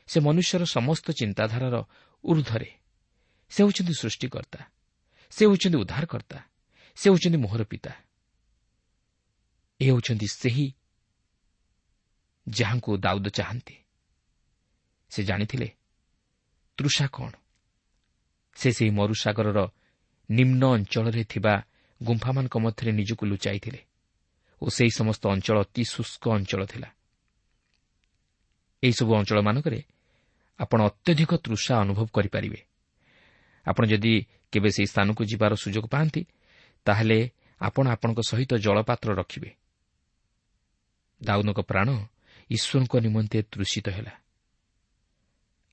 Speaker 3: ସେ ମନୁଷ୍ୟର ସମସ୍ତ ଚିନ୍ତାଧାରାର ଉର୍ଦ୍ଧ୍ୱରେ। ସେ ହେଉଛନ୍ତି ସୃଷ୍ଟିକର୍ତ୍ତା, ସେ ହେଉଛନ୍ତି ଉଦ୍ଧାରକର୍ତ୍ତା, ସେ ହେଉଛନ୍ତି ମୋହର ପିତା। ଏ ହେଉଛନ୍ତି ସେହି ଯାହାଙ୍କୁ ଦାଉଦ ଚାହାନ୍ତି। ସେ ଜାଣିଥିଲେ ତୃଷା କ'ଣ। ସେ ସେହି ମରୁସାଗରର ନିମ୍ନ ଅଞ୍ଚଳରେ ଥିବା ଗୁମ୍ଫାମାନଙ୍କ ମଧ୍ୟରେ ନିଜକୁ ଲୁଚାଇଥିଲେ ଓ ସେହି ସମସ୍ତ ଅଞ୍ଚଳ ଅତି ଶୁଷ୍କ ଅଞ୍ଚଳ ଥିଲା। ଏହିସବୁ ଅଞ୍ଚଳମାନଙ୍କରେ ଆପଣ ଅତ୍ୟଧିକ ତୃଷା ଅନୁଭବ କରିପାରିବେ। ଆପଣ ଯଦି କେବେ ସେହି ସ୍ଥାନକୁ ଯିବାର ସୁଯୋଗ ପାଆନ୍ତି, ତାହେଲେ ଆପଣ ଆପଣଙ୍କ ସହିତ ଜଳପାତ୍ର ରଖିବେ। ଦାଉଦଙ୍କ ପ୍ରାଣ ଈଶ୍ୱରଙ୍କ ନିମନ୍ତେ ତୃଷିତ ହେଲା।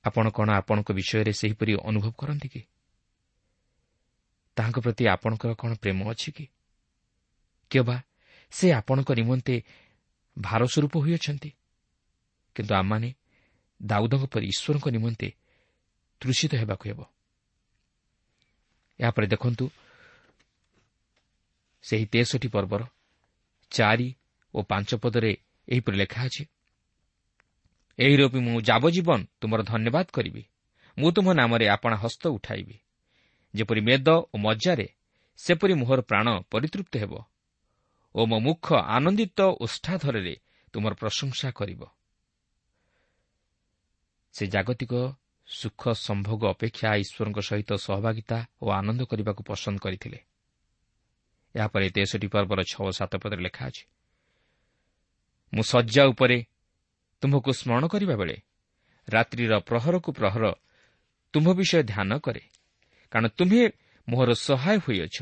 Speaker 3: ଆପଣ କ'ଣ ଆପଣଙ୍କ ବିଷୟରେ ସେହିପରି ଅନୁଭବ କରନ୍ତି କି? ତାହାଙ୍କ ପ୍ରତି ଆପଣଙ୍କର କ'ଣ ପ୍ରେମ ଅଛି କି? କିମ୍ବା ସେ ଆପଣଙ୍କ ନିମନ୍ତେ ଭାର ସ୍ୱରୂପ ହୋଇଅଛନ୍ତି? କିନ୍ତୁ ଆମମାନେ ଦାଉଦଙ୍କ ପରି ଈଶ୍ୱରଙ୍କ ନିମନ୍ତେ ତୃଷିତ ହେବାକୁ ହେବ। ଏହାପରେ ଦେଖନ୍ତୁ ସେହି 63 ପର୍ବର 4 ଓ 5 ପଦରେ ଏହିପରି ଲେଖା ଅଛି, ଏହି ରୂପେ ମୁଁ ଯାବଜୀବନ ତୁମର ଧନ୍ୟବାଦ କରିବି, ମୁଁ ତୁମ ନାମରେ ଆପଣା ହସ୍ତ ଉଠାଇବି। ଯେପରି ମେଦ ଓ ମଜ୍ଜାରେ ସେପରି ମୋହର ପ୍ରାଣ ପରିତୃପ୍ତ ହେବ ଓ ମୋ ମୁଖ ଆନନ୍ଦିତ ଓଷ୍ଠାଧରରେ ତୁମର ପ୍ରଶଂସା କରିବ। ସେ ଜାଗତିକ ସୁଖ ସମ୍ଭୋଗ ଅପେକ୍ଷା ଈଶ୍ୱରଙ୍କ ସହିତ ସହଭାଗିତା ଓ ଆନନ୍ଦ କରିବାକୁ ପସନ୍ଦ କରିଥିଲେ। ଏହାପରେ 63 ପର୍ବର 6 ଓ 7 ପଦରେ ଲେଖା ଅଛି, ମୁଁ ଶଯ୍ୟା ଉପରେ ତୁମ୍ଭକୁ ସ୍ମରଣ କରିବା ବେଳେ ରାତ୍ରିର ପ୍ରହରକୁ ପ୍ରହର ତୁମ୍ଭ ବିଷୟ ଧ୍ୟାନ କରେ, କାରଣ ତୁମ୍ଭେ ମୋହର ସହାୟ ହୋଇଅଛ,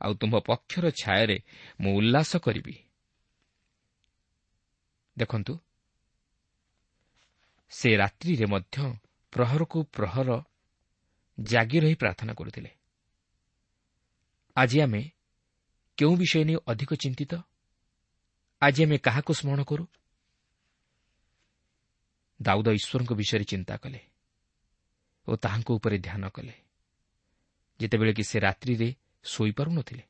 Speaker 3: ଆଉ ତୁମ୍ଭ ପକ୍ଷର ଛାୟାରେ ମୁଁ ଉଲ୍ଲାସ କରିବି। ଦେଖନ୍ତୁ, ସେ ରାତ୍ରିରେ ମଧ୍ୟ ପ୍ରହରକୁ ପ୍ରହର ଜାଗି ରହି ପ୍ରାର୍ଥନା କରୁଥିଲେ। ଆଜି ଆମେ କେଉଁ ବିଷୟ ନେଇ ଅଧିକ ଚିନ୍ତିତ? ଆଜି ଆମେ କାହାକୁ ସ୍ମରଣ କରୁ? ଦାଉଦ ଈଶ୍ୱରଙ୍କ ବିଷୟରେ ଚିନ୍ତା କଲେ ଓ ତାହାଙ୍କ ଉପରେ ଧ୍ୟାନ କଲେ, ଯେତେବେଳେ କି ସେ ରାତ୍ରିରେ ଶୋଇପାରୁନଥିଲେ।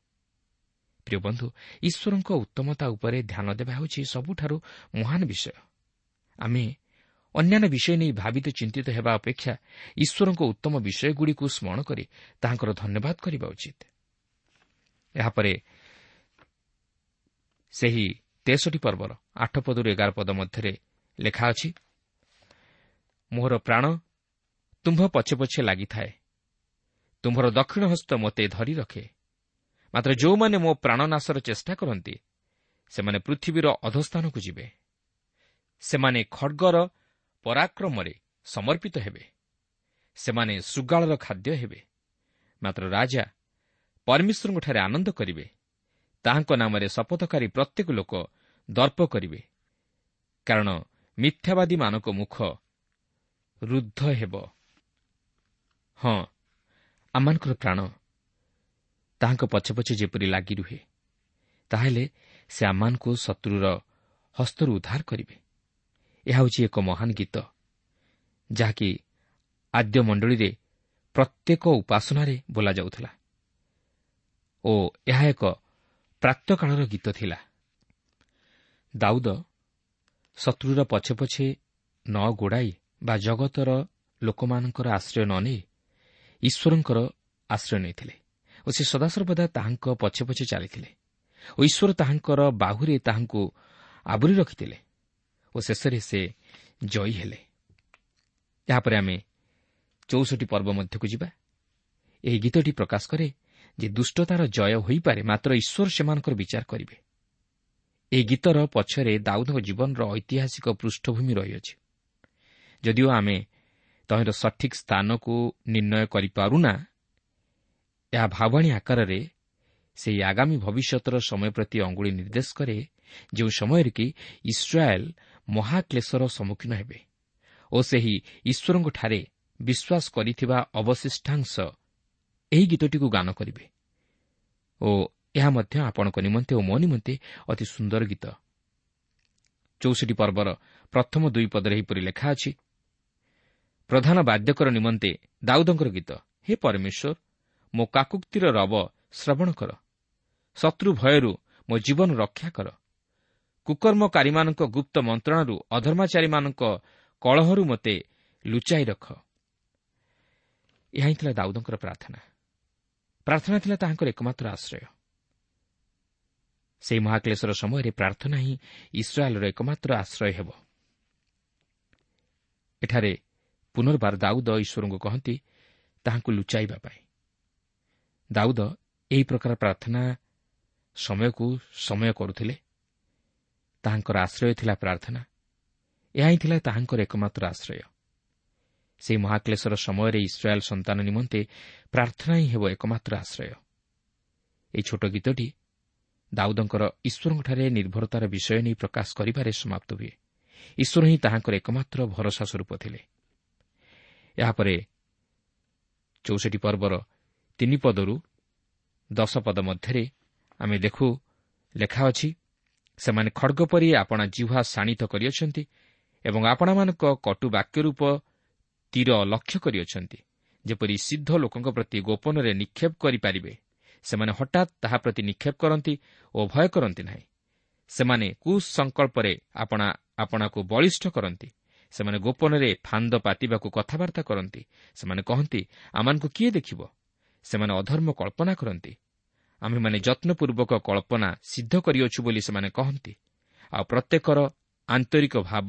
Speaker 3: ପ୍ରିୟ ବନ୍ଧୁ, ଈଶ୍ୱରଙ୍କ ଉତ୍ତମତା ଉପରେ ଧ୍ୟାନ ଦେବା ହେଉଛି ସବୁଠାରୁ ମହାନ ବିଷୟ। ଆମେ ଅନ୍ୟାନ୍ୟ ବିଷୟ ନେଇ ଭାବିତ ଚିନ୍ତିତ ହେବା ଅପେକ୍ଷା ଈଶ୍ୱରଙ୍କ ଉତ୍ତମ ବିଷୟଗୁଡ଼ିକୁ ସ୍ମରଣ କରି ତାହାଙ୍କର ଧନ୍ୟବାଦ କରିବା ଉଚିତ। ଏହାପରେ ସେହି 63 ପର୍ବର 8 ପଦରୁ 11 ପଦ ମଧ୍ୟରେ ଲେଖା ଅଛି, ମୋହର ପ୍ରାଣ ତୁମ୍ଭ ପଛେ ପଛେ ଲାଗିଥାଏ, ତୁମ୍ଭର ଦକ୍ଷିଣ ହସ୍ତ ମୋତେ ଧରି ରଖେ। ମାତ୍ର ଯେଉଁମାନେ ମୋ ପ୍ରାଣନାଶର ଚେଷ୍ଟା କରନ୍ତି, ସେମାନେ ପୃଥିବୀର ଅଧସ୍ଥାନକୁ ଯିବେ, ସେମାନେ ଖଡ଼୍ଗର ପରାକ୍ରମରେ ସମର୍ପିତ ହେବେ, ସେମାନେ ଶୃଗାଳର ଖାଦ୍ୟ ହେବେ। ମାତ୍ର ରାଜା ପରମେଶ୍ୱରଙ୍କଠାରେ ଆନନ୍ଦ କରିବେ, ତାହାଙ୍କ ନାମରେ ଶପଥକାରୀ ପ୍ରତ୍ୟେକ ଲୋକ ଦର୍ପ କରିବେ, କାରଣ ମିଥ୍ୟାବାଦୀମାନଙ୍କ ମୁଖ ରୁଦ୍ଧ ହେବ। ହଁ, ଆମମାନଙ୍କର ପ୍ରାଣ ତାହାଙ୍କ ପଛେ ପଛେ ଯେପରି ଲାଗି ରୁହେ, ତାହେଲେ ସେ ଆମମାନଙ୍କୁ ଶତ୍ରୁର ହସ୍ତରୁ ଉଦ୍ଧାର କରିବେ। ଏହା ହେଉଛି ଏକ ମହାନ ଗୀତ, ଯାହାକି ଆଦ୍ୟ ମଣ୍ଡଳୀରେ ପ୍ରତ୍ୟେକ ଉପାସନାରେ ବୋଲାଯାଉଥିଲା ଓ ଏହା ଏକ ପ୍ରାତଃକାଳର ଗୀତ ଥିଲା। ଦାଉଦ ଶତ୍ରୁର ପଛେ ପଛେ ନ ଗୋଡ଼ାଇ ବା ଜଗତର ଲୋକମାନଙ୍କର ଆଶ୍ରୟ ନ ନେଇ ଈଶ୍ୱରଙ୍କର ଆଶ୍ରୟ ନେଇଥିଲେ ଓ ସେ ସଦାସର୍ବଦା ତାହାଙ୍କ ପଛେ ପଛେ ଚାଲିଥିଲେ ଓ ଈଶ୍ୱର ତାହାଙ୍କର ବାହୁରେ ତାହାଙ୍କୁ ଆବୋରି ରଖିଥିଲେ ଓ ଶେଷରେ ସେ ଜୟୀ ହେଲେ। ଏହାପରେ ଆମେ 64 ପର୍ବ ମଧ୍ୟକୁ ଯିବା। ଏହି ଗୀତଟି ପ୍ରକାଶ କରେ ଯେ ଦୁଷ୍ଟତାର ଜୟ ହୋଇପାରେ, ମାତ୍ର ଈଶ୍ୱର ସେମାନଙ୍କର ବିଚାର କରିବେ। ଏହି ଗୀତର ପଛରେ ଦାଉଦଙ୍କ ଜୀବନର ଐତିହାସିକ ପୃଷ୍ଠଭୂମି ରହିଅଛି। ଯଦିଓ ଆମେ ତହିଁର ସଠିକ୍ ସ୍ଥାନକୁ ନିର୍ଣ୍ଣୟ କରିପାରୁନା, ଏହା ଭାବଣୀ ଆକାରରେ ସେହି ଆଗାମୀ ଭବିଷ୍ୟତର ସମୟ ପ୍ରତି ଅଙ୍ଗୁଳି ନିର୍ଦ୍ଦେଶ କରେ, ଯେଉଁ ସମୟରେ କି ଇସ୍ରାଏଲ୍ ମହାକ୍ଲେଶର ସମ୍ମୁଖୀନ ହେବେ ଓ ସେହି ଈଶ୍ୱରଙ୍କଠାରେ ବିଶ୍ୱାସ କରିଥିବା ଅବଶିଷ୍ଟାଂଶ ଏହି ଗୀତଟିକୁ ଗାନ କରିବେ। ଓ ଏହା ମଧ୍ୟ ଆପଣଙ୍କ ନିମନ୍ତେ ଓ ମୋ ନିମନ୍ତେ ଅତି ସୁନ୍ଦର ଗୀତ। 64 ପର୍ବର ପ୍ରଥମ 2 ପଦରେ ଏହିପରି ଲେଖା ଅଛି, ପ୍ରଧାନ ବାଦ୍ୟକର ନିମନ୍ତେ ଦାଉଦଙ୍କର ଗୀତ। ହେ ପରମେଶ୍ୱର, ମୋ କାକୁକ୍ତିର ରବ ଶ୍ରବଣ କର, ଶତ୍ରୁ ଭୟରୁ ମୋ ଜୀବନ ରକ୍ଷା କର। କୁକର୍ମକାରୀମାନଙ୍କ ଗୁପ୍ତ ମନ୍ତ୍ରଣାରୁ, ଅଧର୍ମାଚାରୀମାନଙ୍କ କଳହରୁ ମୋତେ ଲୁଚାଇ ରଖ। ଏହା ହିଁ ଥିଲା ଦାଉଦଙ୍କର ପ୍ରାର୍ଥନା। ପ୍ରାର୍ଥନା ଥିଲା ତାହାଙ୍କର ଏକମାତ୍ର ଆଶ୍ରୟ। ସେହି ମହାକ୍ଲେଶର ସମୟରେ ପ୍ରାର୍ଥନା ହିଁ ଇସ୍ରାଏଲର ଏକମାତ୍ର ଆଶ୍ରୟ ହେବ। ଏଠାରେ ପୁନର୍ବାର ଦାଉଦ ଈଶ୍ୱରଙ୍କୁ କହନ୍ତି ତାହାଙ୍କୁ ଲୁଚାଇବା ପାଇଁ। ଦାଉଦ ଏହି ପ୍ରକାର ପ୍ରାର୍ଥନା ସମୟକୁ ସମୟ କରୁଥିଲେ। ତାହାଙ୍କର ଆଶ୍ରୟ ଥିଲା ପ୍ରାର୍ଥନା। ଏହା ହିଁ ଥିଲା ତାହାଙ୍କର ଏକମାତ୍ର ଆଶ୍ରୟ। ସେହି ମହାକ୍ଲେଶର ସମୟରେ ଇସ୍ରାଏଲ୍ ସନ୍ତାନ ନିମନ୍ତେ ପ୍ରାର୍ଥନା ହିଁ ହେବ ଏକମାତ୍ର ଆଶ୍ରୟ। ଏହି ଛୋଟ ଗୀତଟି ଦାଉଦଙ୍କର ଈଶ୍ୱରଙ୍କଠାରେ ନିର୍ଭରତାର ବିଷୟ ନେଇ ପ୍ରକାଶ କରିବାରେ ସମାପ୍ତ ହୁଏ। ଈଶ୍ୱର ହିଁ ତାହାଙ୍କର ଏକମାତ୍ର ଭରସା ସ୍ୱରୂପ ଥିଲେ। ଏହାପରେ 64 ପର୍ବର 3 ପଦରୁ 10 ପଦ ମଧ୍ୟରେ ଆମେ ଦେଖୁ ଲେଖା ଅଛି, ସେମାନେ ଖଡ଼ଗ ପରି ଆପଣା ଜିହ୍ୱା ଶାଣିତ କରିଅଛନ୍ତି ଏବଂ ଆପଣାମାନଙ୍କ କଟୁ ବାକ୍ୟ ରୂପ ତୀର ଲକ୍ଷ୍ୟ କରିଅଛନ୍ତି, ଯେପରି ସିଦ୍ଧ ଲୋକଙ୍କ ପ୍ରତି ଗୋପନରେ ନିକ୍ଷେପ କରିପାରିବେ। ସେମାନେ ହଠାତ୍ ତାହା ପ୍ରତି ନିକ୍ଷେପ କରନ୍ତି ଓ ଭୟ କରନ୍ତି ନାହିଁ। ସେମାନେ କୁସଂକଳ୍ପରେ ଆପଣା ଆପଣାକୁ ବଳିଷ୍ଠ କରନ୍ତି। ସେମାନେ ଗୋପନରେ ଫାନ୍ଦ ପାତିବାକୁ କଥାବାର୍ତ୍ତା କରନ୍ତି। ସେମାନେ କହନ୍ତି, ଆମମାନଙ୍କୁ କିଏ ଦେଖିବ? ସେମାନେ ଅଧର୍ମ କଳ୍ପନା କରନ୍ତି। ଆମ୍ଭେମାନେ ଯତ୍ନପୂର୍ବକ କଳ୍ପନା ସିଦ୍ଧ କରିଅଛୁ ବୋଲି ସେମାନେ କହନ୍ତି। ଆଉ ପ୍ରତ୍ୟେକର ଆନ୍ତରିକ ଭାବ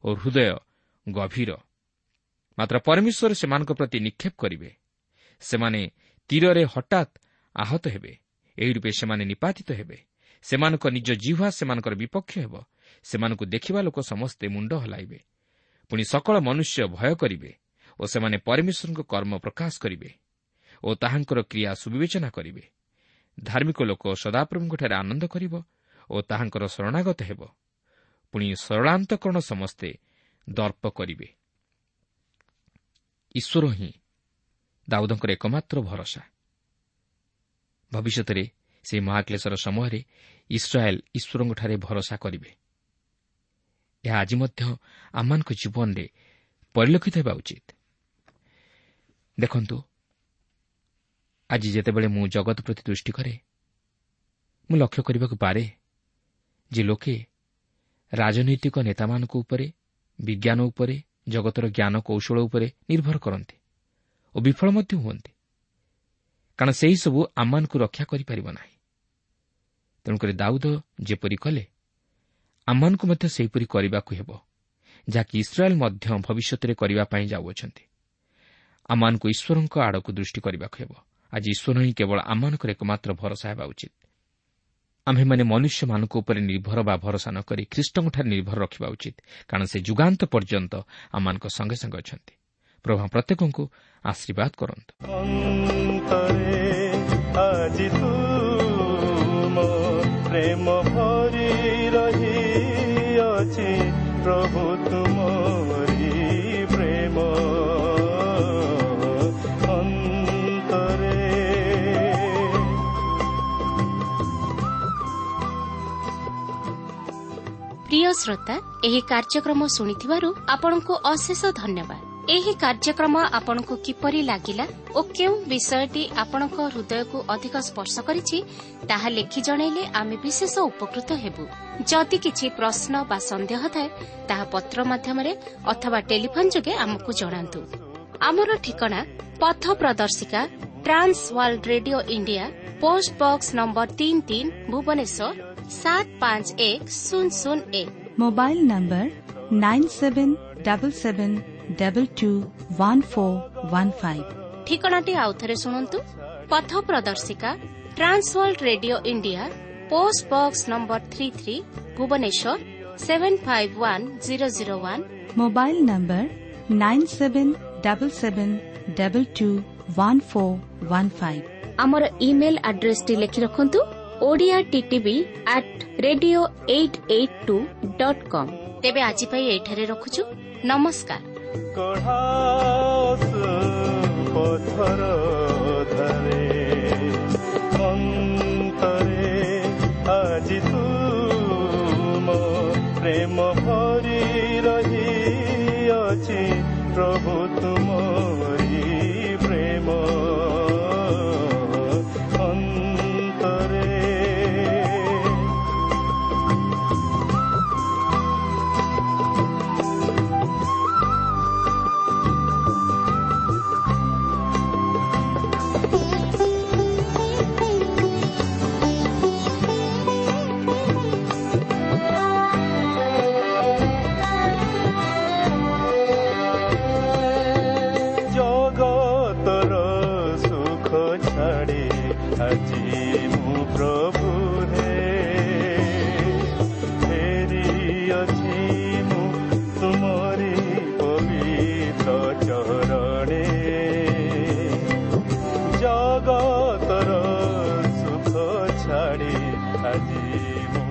Speaker 3: ଓ ହୃଦୟ ଗଭୀର। ମାତ୍ର ପରମେଶ୍ୱର ସେମାନଙ୍କ ପ୍ରତି ନିକ୍ଷେପ କରିବେ। ସେମାନେ ତୀରରେ ହଠାତ୍ ଆହତ ହେବେ। ଏହି ରୂପେ ସେମାନେ ନିପାତିତ ହେବେ। ସେମାନଙ୍କ ନିଜ ଜିହ୍ୱା ସେମାନଙ୍କର ବିପକ୍ଷ ହେବ। ସେମାନଙ୍କୁ ଦେଖିବା ଲୋକ ସମସ୍ତେ ମୁଣ୍ଡ ହଲାଇବେ। ପୁଣି ସକଳ ମନୁଷ୍ୟ ଭୟ କରିବେ ଓ ସେମାନେ ପରମେଶ୍ୱରଙ୍କ କର୍ମ ପ୍ରକାଶ କରିବେ ଓ ତାହାଙ୍କର କ୍ରିୟା ସୁବିବେଚନା କରିବେ। ଧାର୍ମିକ ଲୋକ ସଦାପ୍ରଭୁଙ୍କଠାରେ ଆନନ୍ଦ କରିବ ଓ ତାହାଙ୍କର ଶରଣାଗତ ହେବ। ପୁଣି ସରଳାନ୍ତକରଣ ସମସ୍ତେ ଦର୍ପ କରିବେ। ଈଶ୍ୱର ହିଁ ଦାଉଦଙ୍କର ଏକମାତ୍ର ଭରସା। ଭବିଷ୍ୟତରେ ସେହି ମହାକ୍ଲେଶର ସମୟରେ ଇସ୍ରାଏଲ୍ ଈଶ୍ୱରଙ୍କଠାରେ ଭରସା କରିବେ। ଏହା ଆଜି ମଧ୍ୟ ଆମମାନଙ୍କ ଜୀବନରେ ପରିଲକ୍ଷିତ ହେବା ଉଚିତ। ଦେଖନ୍ତୁ, ଆଜି ଯେତେବେଳେ ମୁଁ ଜଗତ ପ୍ରତି ଦୃଷ୍ଟି କରେ, ମୁଁ ଲକ୍ଷ୍ୟ କରିବାକୁ ପାରେ ଯେ ଲୋକେ ରାଜନୈତିକ ନେତାମାନଙ୍କ ଉପରେ, ବିଜ୍ଞାନ ଉପରେ, ଜଗତର ଜ୍ଞାନ କୌଶଳ ଉପରେ ନିର୍ଭର କରନ୍ତି ଓ ବିଫଳ ମଧ୍ୟ ହୁଅନ୍ତି, କାରଣ ସେହିସବୁ ଆମମାନଙ୍କୁ ରକ୍ଷା କରିପାରିବ ନାହିଁ। ତେଣୁକରି ଦାଉଦ ଯେପରି କଲେ, ଆମମାନଙ୍କୁ ମଧ୍ୟ ସେହିପରି କରିବାକୁ ହେବ, ଯାହାକି ଇସ୍ରାଏଲ୍ ମଧ୍ୟ ଭବିଷ୍ୟତରେ କରିବା ପାଇଁ ଯାଉଅଛନ୍ତି। ଆମମାନଙ୍କୁ ଈଶ୍ୱରଙ୍କ ଆଡ଼କୁ ଦୃଷ୍ଟି କରିବାକୁ ହେବ। ଆଜି ଈଶ୍ୱର ହିଁ କେବଳ ଆମମାନଙ୍କର ଏକମାତ୍ର ଭରସା ହେବା ଉଚିତ। ଆମ୍ଭେମାନେ ମନୁଷ୍ୟମାନଙ୍କ ଉପରେ ନିର୍ଭର ବା ଭରସା ନ କରି ଖ୍ରୀଷ୍ଟଙ୍କଠାରେ ନିର୍ଭର ରଖିବା ଉଚିତ, କାରଣ ସେ ଯୁଗାନ୍ତ ପର୍ଯ୍ୟନ୍ତ ଆମମାନଙ୍କ ସଙ୍ଗେ ସଙ୍ଗେ ଅଛନ୍ତି। ପ୍ରଭୁ ପ୍ରତ୍ୟେକଙ୍କୁ ଆଶୀର୍ବାଦ କରନ୍ତୁ।
Speaker 2: ଆଜି ତୁମ ପ୍ରେମ ଭରି ରହିଅଛି ପ୍ରଭୁ ତୁମରି ପ୍ରେମ ଅନ୍ତରେ।
Speaker 1: ପ୍ରିୟ ଶ୍ରୋତା, ଏହି କାର୍ଯ୍ୟକ୍ରମ ଶୁଣିଥିବାରୁ ଆପଣଙ୍କୁ ଅଶେଷ ଧନ୍ୟବାଦ। ଏହି କାର୍ଯ୍ୟକ୍ରମ ଆପଣଙ୍କୁ କିପରି ଲାଗିଲା ଓ କେଉଁ ବିଷୟଟି ଆପଣଙ୍କ ହୃଦୟକୁ ଅଧିକ ସ୍ପର୍ଶ କରିଛି ତାହା ଲେଖି ଜଣାଇଲେ ଆମେ ବିଶେଷ ଉପକୃତ ହେବୁ। ଯଦି କିଛି ପ୍ରଶ୍ନ ବା ସନ୍ଦେହ ଥାଏ, ତାହା ପତ୍ର ମାଧ୍ୟମରେ ଅଥବା ଟେଲିଫୋନ୍ ଯୋଗେ ଆମକୁ ଜଣାନ୍ତୁ। ଆମର ଠିକଣା ପଥ ପ୍ରଦର୍ଶିକା, Trans World Radio India, post box number 33, Bhubaneswar 751001।
Speaker 4: Mobile number 9777221415।
Speaker 1: ଠିକଣାଟି ଆଉଥରେ ଶୁଣନ୍ତୁ। ପଥ ପ୍ରଦର୍ଶିକା, Trans World Radio India, post box number 33, Bhubaneswar 751001।
Speaker 4: Mobile number 9777221415।
Speaker 1: ଆମର ଇମେଲ୍ ଆଡ୍ରେସଟି ଲେଖି ରଖନ୍ତୁ, Odia TTV at radio 882.com। ତେବେ ଆଜି ପାଇଁ ଏଇଠାରେ ରଖୁଛୁ। ନମସ୍କାର।
Speaker 2: ପଥର ଧାରେ ଅନ୍ତରେ ଆଜି ତୁମ ପ୍ରେମ ଭରି ରହିଅଛି ପ୍ରଭୁ ତୁମରି ପ୍ରେମ ଅନ୍ତରେ। ଜଗତର ସୁଖ ଛାଡ଼ି ଆଜି ମୁଁ ପ୍ରଭୁ ହେ ଫେରିଅଛି ମୁଁ ତୁମରି ପବିତ୍ର ଚରଣେ। ଜଗତର ସୁଖ ଛାଡ଼ି ଆଜି ମୁଁ